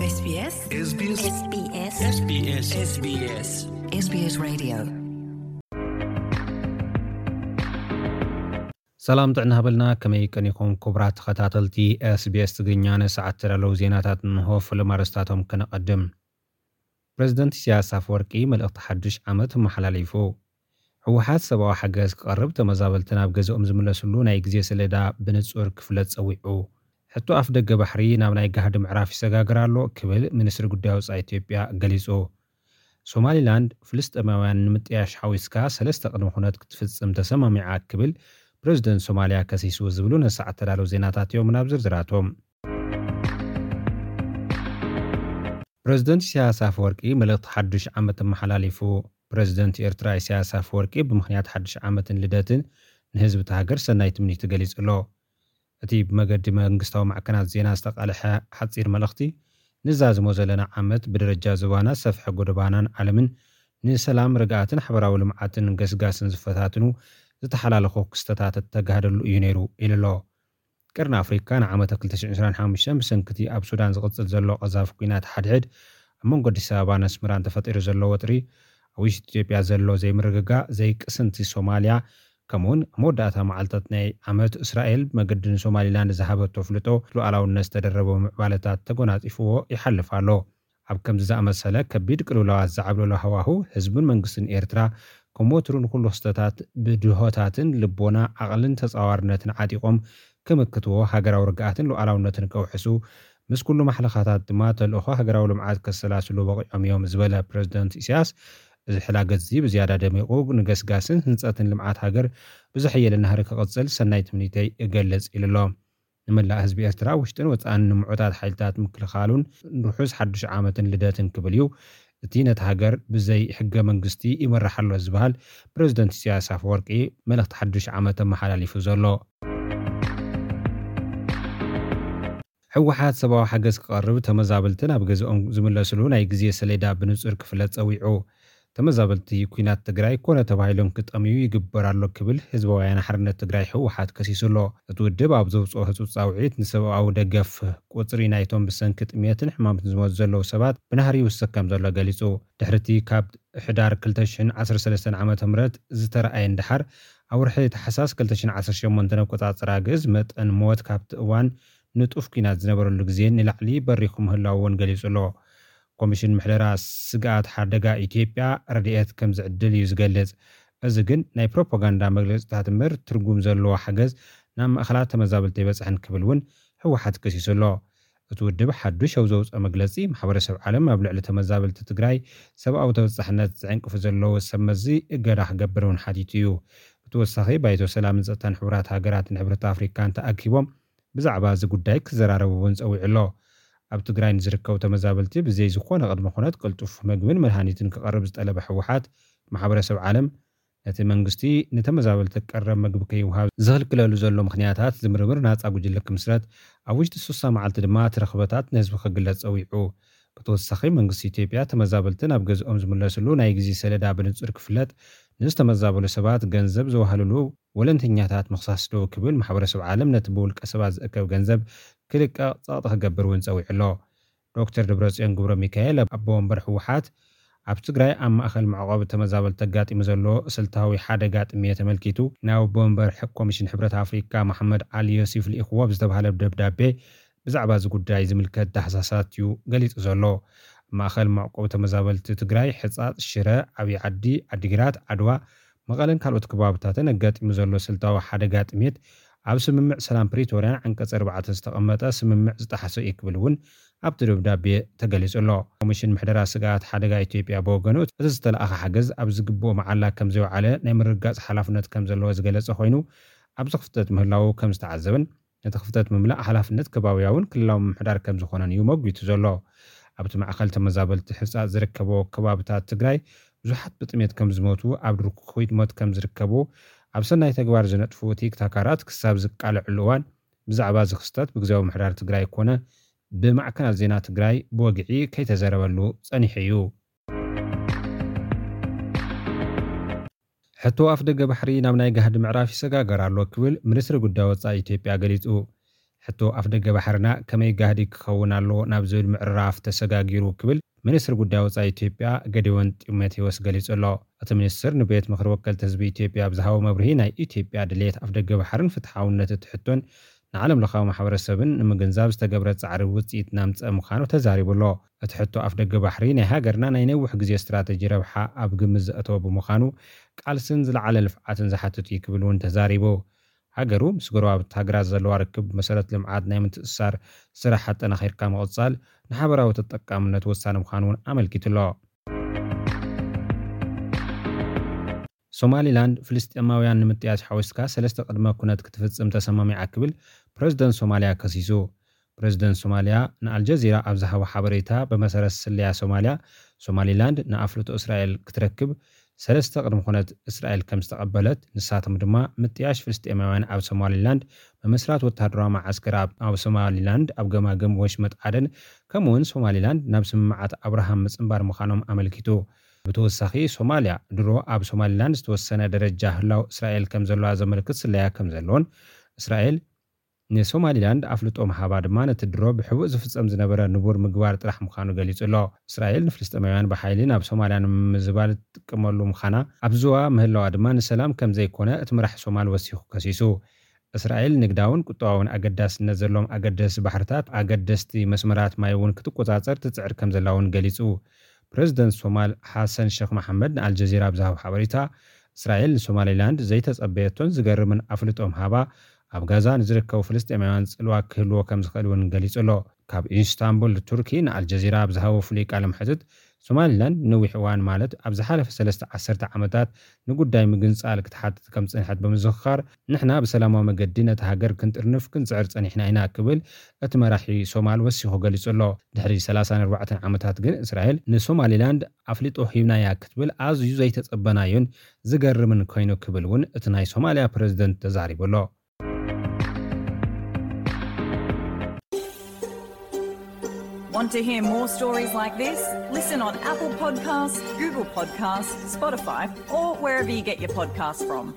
SBS SBS SBS SBS SBS SBS Radio. ሰላም ጥዕና ሃበልና። ከመይ ቀኒኹም ክቡራት ተኸታተልቲ SBS ትግርኛ? ንሰዓት ተዳለዉ ዜናታት እንሆ። ፍሉም ኣርእስታቶም ከነቐድም። ፕረዚደንት ኢሳያስ ኣፈወርቂ መልእኽቲ ሓዱሽ ዓመት ኣመሓላሊፉ። ህወሓት ሰብኣዊ ሓገዝ ክቐርብ፣ ተመዛበልቲ ናብ ገዝኦም ዝምለስሉ ናይ ግዜ ሰሌዳ ብንጹር ክፍለጥ ጸዊዑ። ሕቶ ኣፍ ደገ ባሕሪ ናብ ናይ ጋህዲ ምዕራፍ ይሰጋገር ኣሎ ክብል ሚኒስትሪ ጉዳይ ወጻኢ ኢትዮጵያ ገሊጹ። ሶማሊላንድ ፍልስጤማውያን ንምጥያሽ ሓዊስካ ሰለስተ ቅድመ ኩነት ክትፍጽም ተሰማሚዓ ክብል ፕረዚደንት ሶማልያ ከሲሱ ዝብሉ ነሰዓት ተዳለዉ ዜናታት እዮም። ናብ ዝርዝራቶም። ፕረዚደንት ኢሳያስ ኣፈወርቂ መልእኽቲ ሓዱሽ ዓመት ኣመሓላሊፉ። ፕረዚደንት ኤርትራ ኢሳያስ ኣፈወርቂ ብምኽንያት ሓዱሽ ዓመትን ልደትን ንህዝቢ እታ ሃገር ሰናይ ትምኒቱ ገሊጹ ኣሎ። እቲ ብመገዲ መንግስታዊ ማዕከናት ዜና ዝተቃልሐ ሓጺር መልእኽቲ፣ ንዛዝሞ ዘለና ዓመት ብደረጃ ዞባና፣ ሰፍሐ ጎደባናን ዓለምን ንሰላም፣ ርግኣትን ሓበራዊ ልምዓትን ገስጋስን ዝፈታትኑ ዝተሓላለኹ ክስተታት እተጋህደሉ እዩ ነይሩ ኢሉ ኣሎ። ቀርኒ ኣፍሪካ ንዓመተ ክልተ ሽሕን ዕስራን ሓሙሽተን ብሰንኪ እቲ ኣብ ሱዳን ዝቕጽል ዘሎ ቀዛፊ ኲናት ሓድሕድ፣ ኣብ መንጎ ኣዲስ ኣበባን ኣስመራን ተፈጢሩ ዘሎ ወጥሪ፣ ኣብ ውሽጢ ኢትዮጵያ ዘሎ ዘይምርግጋእ፣ ዘይቅስንቲ ሶማልያ፣ ከምኡውን ኣብ መወዳእታ መዓልታት ናይ ዓመት እስራኤል ብመገዲ ንሶማሊላንድ ዝሃበቶ ኣፍልጦ ሉዓላውነት ዝተደረቦ ምዕባለታት ተጎናጺፍዎ ይሓልፍ ኣሎ። ኣብ ከምዚ ዝኣመሰለ ከቢድ ቅልውላዋት ዝዓብለሎ ሃዋሁ፣ ህዝብን መንግስትን ኤርትራ ከም ወትሩ ንኹሉ ክስተታት ብድሆታትን ልቦና፣ ዓቕልን ተጻዋርነትን ዓጢቖም ክምክትዎ፣ ሃገራዊ ርግኣትን ሉዓላውነትን ከውሕሱ፣ ምስ ኩሉ ማሕለኻታት ድማ ተልእኾ ሃገራዊ ልምዓት ከሰላስሉ በቒዖም እዮም ዝበለ ፕረዚደንት ኢሳያስ፣ እዚ ሕላገት እዚ ብዝያዳ ደሚቑ ንገስጋስን ህንጸትን ልምዓት ሃገር ብዘሐየለ ናህሪ ክቕጽል ሰናይ ትምኒተይ እገልጽ ኢሉ ኣሎ። ንመላእ ህዝቢ ኤርትራ ውሽጥን ወጻእን ንምዑታት ሓይልታት ምክልኻሉን ርሑስ ሓዱሽ ዓመትን ልደትን ክብል እዩ። እቲ ነቲ ሃገር ብዘይ ሕገ መንግስቲ ይመራሕ ኣሎ ዝበሃል ፕረዚደንት ኢሳያስ ኣፈወርቂ መልእኽቲ ሓዱሽ ዓመት ኣመሓላሊፉ ዘሎ። ህወሓት ሰብኣዊ ሓገዝ ክቐርብ፣ ተመዛበልቲ ናብ ገዝኦም ዝምለስሉ ናይ ግዜ ሰሌዳ ብንጹር ክፍለጥ ጸዊዑ። ተመዛበልቲ ኲናት ትግራይ ኮነ ተባሂሎም ክጠምዩ ይግበር ኣሎ ክብል ህዝባዊ ወያነ ሓርነት ትግራይ ህወሓት ከሲሱ ኣሎ። እቲ ውድብ ኣብ ዘውፅኦ ህፁፅ ፃውዒት፣ ንሰብኣዊ ደገፍ ቁፅሪ ናይቶም ብሰንኪ ጥሜትን ሕማምን ዝሞቱ ዘለዉ ሰባት ብናህሪ ይውስኽ ከም ዘሎ ገሊፁ። ድሕሪ እቲ ካብ ሕዳር ክልተ ሽሕን ዓሰርተ ሰለስተን ዓመተ ምህረት ዝተረኣየ ንደሓር፣ ኣብ ወርሒ ታሕሳስ ክልተ ሽሕን ዓሰርተ ሸሞንተን ኣቆፃፅራ ግእዝ፣ መጠን ሞት ካብቲ እዋን ንጡፍ ኲናት ዝነበረሉ ግዜ ንላዕሊ በሪኹ ምህላዉ እውን ገሊጹ ኣሎ። ኮሚሽን ምሕደራ ስግኣት ሓደጋ ኢትዮጵያ ረድኤት ከም ዝዕድል እዩ ዝገልጽ። እዚ ግን ናይ ፕሮፓጋንዳ መግለጺታት እምበር፣ ትርጉም ዘለዎ ሓገዝ ናብ ማእከላት ተመዛበልቲ ኣይበጽሐን ክብል እውን ህወሓት ከሲሱ ኣሎ። እቲ ውድብ ሓዱሽ ኣብ ዘውፅኦ መግለጺ፣ ማሕበረሰብ ዓለም ኣብ ልዕሊ ተመዛበልቲ ትግራይ ሰብኣዊ ተበጻሕነት ዝዕንቅፉ ዘለዉ ሰብ መዚ እገዳ ክገብር እውን ሓቲቱ እዩ። ብተወሳኺ፣ ባይቶ ሰላምን ጸጥታን ሕቡራት ሃገራትን ሕብረት ኣፍሪካን ተኣኪቦም ብዛዕባ እዚ ጉዳይ ክዘራረቡ እውን ጸዊዑ ኣሎ። ኣብ ትግራይ ንዝርከቡ ተመዛበልቲ ብዘይ ዝኾነ ቅድመ ኩነት ቅልጡፍ ምግብን መድሃኒትን ክቐርብ ዝጠለበ ህወሓት፣ ማሕበረሰብ ዓለም ነቲ መንግስቲ ንተመዛበልቲ ቀረብ ምግቢ ከይውሃብ ዝኽልክለሉ ዘሎ ምኽንያታት ዝምርምር ናጻ ጉጅለ ክምስረት፣ ኣብ ውሽጢ ስሳ መዓልቲ ድማ እቲ ረኽበታት ንህዝቢ ክግለጽ ጸዊዑ። ብተወሳኺ፣ መንግስቲ ኢትዮጵያ ተመዛበልቲ ናብ ገዝኦም ዝምለስሉ ናይ ግዜ ሰሌዳ ብንጹር ክፍለጥ፣ ንዝተመዛበሉ ሰባት ገንዘብ ዘዋህልሉ ወለንተኛታት ምኽሳስ ደው ክብል፣ ማሕበረሰብ ዓለም ነቲ ብውልቀ ሰባት ዝእከብ ገንዘብ ክልቀቕ ጸቕጢ ክገብር እውን ጸዊዑ ኣሎ። ዶክተር ደብረጽዮን ገብረ ሚካኤል፣ ኣቦ ወንበር ህወሓት፣ ኣብ ትግራይ ኣብ ማእከል መዕቆቢ ተመዛበልቲ ኣጋጢሙ ዘሎ ስልታዊ ሓደጋ ጥሜት ተመልኪቱ፣ ናብ ኣቦ ወንበር ሕ-፣ ኮሚሽን ሕብረት ኣፍሪካ መሓመድ ዓሊ ዮሲፍ ልኢኽዎ ብዝተባህለ ደብዳቤ፣ ብዛዕባ እዚ ጉዳይ ዝምልከት ዳህሳሳት እዩ ገሊጹ ዘሎ። ኣብ ማእከል መዕቆቢ ተመዛበልቲ ትግራይ፣ ሕጻጽ፣ ሽረ፣ ዓብዪ ዓዲ፣ ዓዲግራት፣ ዓድዋ፣ መቐለን ካልኦት ከባብታትን ኣጋጢሙ ዘሎ ስልታዊ ሓደጋ ጥሜት፣ ኣብ ስምምዕ ሰላም ፕሪቶርያን ዓንቀጽ ኣርባዕተ ዝተቐመጠ ስምምዕ ዝጠሓሰ እዩ ክብል እውን ኣብቲ ደብዳቤ ተገሊጹ ኣሎ። ኮሚሽን ምሕደራ ስግኣት ሓደጋ ኢትዮጵያ ብወገኑ፣ እቲ ዝተለኣኸ ሓገዝ ኣብ ዝግብኦ መዓላ ከም ዘይወዓለ ናይ ምርግጋጽ ሓላፍነት ከም ዘለዎ ዝገለጸ ኮይኑ፣ ኣብዚ ክፍተት ምህላዉ ከም ዝተዓዘበን፣ ነቲ ክፍተት ምምላእ ሓላፍነት ከባብያውን ክልላዊ ምምሕዳር ከም ዝኾነን እዩ መጒቱ ዘሎ። ኣብቲ ማእከል ተመዛበልቲ ሕጻጽ ዝርከቦ ከባብታት ትግራይ ብዙሓት ብጥሜት ከም ዝሞቱ፣ ኣብ ድርኩኺት ሞት ከም ዝርከቡ፣ ኣብ ሰናይ ተግባር ዝነጥፉ ቲክታካራት ክሳብ ዝቃልዕሉ እዋን፣ ብዛዕባ እዚ ክስተት ብግዜያዊ ምምሕዳር ትግራይ ኮነ ብማዕከናት ዜና ትግራይ ብወግዒ ከይተዘረበሉ ጸኒሑ እዩ። ሕቶ ኣፍ ደገ ባሕሪ ናብ ናይ ጋህዲ ምዕራፍ ይሰጋገር ኣሎ ክብል ሚኒስትሪ ጉዳይ ወጻኢ ኢትዮጵያ ገሊጹ። ሕቶ ኣፍደገ ባሕርና ከመይ ጋህዲ ክኸውን ኣለዎ ናብ ዝብል ምዕራፍ ተሰጋጊሩ ክብል ሚኒስትር ጉዳይ ወፃኢ ኢትዮጵያ ገዲዮን ጢሞቴዎስ ገሊጹ ኣሎ። እቲ ሚኒስትር ንቤት ምኽሪ ወከልቲ ህዝቢ ኢትዮጵያ ኣብ ዝሃቦ መብርሂ ናይ ኢትዮጵያ ድሌት ኣፍደገ ባሕርን ፍትሓውነት እቲ ሕቶን ንዓለም ለኻዊ ማሕበረሰብን ንምግንዛብ ዝተገብረ ፃዕሪ ውፅኢት እናምፀአ ምዃኑ ተዛሪቡ ኣሎ። እቲ ሕቶ ኣፍደገ ባሕሪ ናይ ሃገርና ናይ ነዊሕ ግዜ ስትራተጂ ረብሓ ኣብ ግምት ዘእተወ ብምዃኑ ቃልስን ዝለዓለ ልፍዓትን ዝሓትት እዩ ክብል እውን ተዛሪቡ። ሃገሩ ምስ ጎረባብቲ ሃገራት ዘለዋ ርክብ መሰረት ልምዓት ናይ ምትእስሳር ስራሕ ኣጠናኺርካ ምቕፃል ንሓበራዊ ተጠቃምነት ወሳኒ ምዃኑ እውን ኣመልኪቱ ኣሎ። ሶማሊላንድ ፍልስጤማውያን ንምጥያሽ ሓዊስካ ሰለስተ ቅድመ ኩነት ክትፍጽም ተሰማሚዓ ክብል ፕረዚደንት ሶማልያ ከሲሱ። ፕረዚደንት ሶማልያ ንኣልጀዚራ ኣብ ዝሃቦ ሓበሬታ ብመሰረት ስለያ ሶማልያ ሶማሊላንድ ንኣፍልጦ እስራኤል ክትረክብ ሰለስተ ቅድመ ኩነት እስራኤል ከም ዝተቐበለት ንሳቶም ድማ ምጥያሽ ፍልስጤማውያን ኣብ ሶማሊላንድ ምምስራት ወታደራዊ መዓስከር ኣብ ሶማሊላንድ ኣብ ገማግም ወሽመጥ ዓደን ከምኡውን ሶማሊላንድ ናብ ስምምዓት ኣብርሃም ምፅንባር ምዃኖም ኣመልኪቱ። ብተወሳኺ ሶማልያ ድሮ ኣብ ሶማሊላንድ ዝተወሰነ ደረጃ ህላው እስራኤል ከም ዘለዋ ዘመልክት ስለያ ከም ዘለዎን እስራኤል ንሶማሊላንድ ኣፍልጦ ምሃባ ድማ ነቲ ድሮ ብሕቡእ ዝፍጸም ዝነበረ ንቡር ምግባር ጥራሕ ምዃኑ ገሊጹ ኣሎ። እስራኤል ንፍልስጤማውያን ብሓይሊ ናብ ሶማልያ ንምምዝባል ትጥቀመሉ ምዃና ኣብ ዝዋ ምህላዋ ድማ ንሰላም ከም ዘይኮነ እቲ መራሕ ሶማል ወሲኹ ከሲሱ። እስራኤል ንግዳውን ቁጠባውን ኣገዳስነት ዘለዎም ኣገደስቲ ባሕርታት ኣገደስቲ መስመራት ማይ እውን ክትቆጻጸር ትጽዕር ከም ዘላ እውን ገሊጹ። ፕረዚደንት ሶማል ሓሰን ሸክ መሓመድ ንኣልጀዚራ ኣብ ዝሃቦ ሓበሬታ እስራኤል ንሶማሊላንድ ዘይተጸበየቶን ዝገርምን ኣፍልጦ ምሃባ ኣብ ጋዛ ንዝርከቡ ፍልስጤማውያን ጽልዋ ክህልዎ ከም ዝኽእል እውን ገሊጹ ኣሎ። ካብ ኢስታንቡል ቱርኪ ንኣልጀዚራ ኣብ ዝሃቦ ፍሉይ ቃለ መሕትት ሶማሊላንድ ንነዊሕ እዋን ማለት ኣብ ዝሓለፈ ሰለስተ ዓሰርተ ዓመታት ንጉዳይ ምግንጻል ክትሓትት ከም ዝጸንሐት ብምዝኽኻር ንሕና ብሰላማዊ መገዲ ነታ ሃገር ክንጥርንፍ ክንጽዕር ጸኒሕና ኢና ክብል እቲ መራሒ ሶማል ወሲኹ ገሊጹ ኣሎ። ድሕሪ ሰላሳን ኣርባዕተን ዓመታት ግን እስራኤል ንሶማሊላንድ ኣፍልጦ ሂብናያ ክትብል ኣዝዩ ዘይተጸበናዮን ዝገርምን ኮይኑ ክብል እውን እቲ ናይ ሶማልያ ፕረዚደንት ተዛሪቡ ኣሎ። Want to hear more stories like this? Listen on Apple Podcasts, Google Podcasts, Spotify, or wherever you get your podcasts from.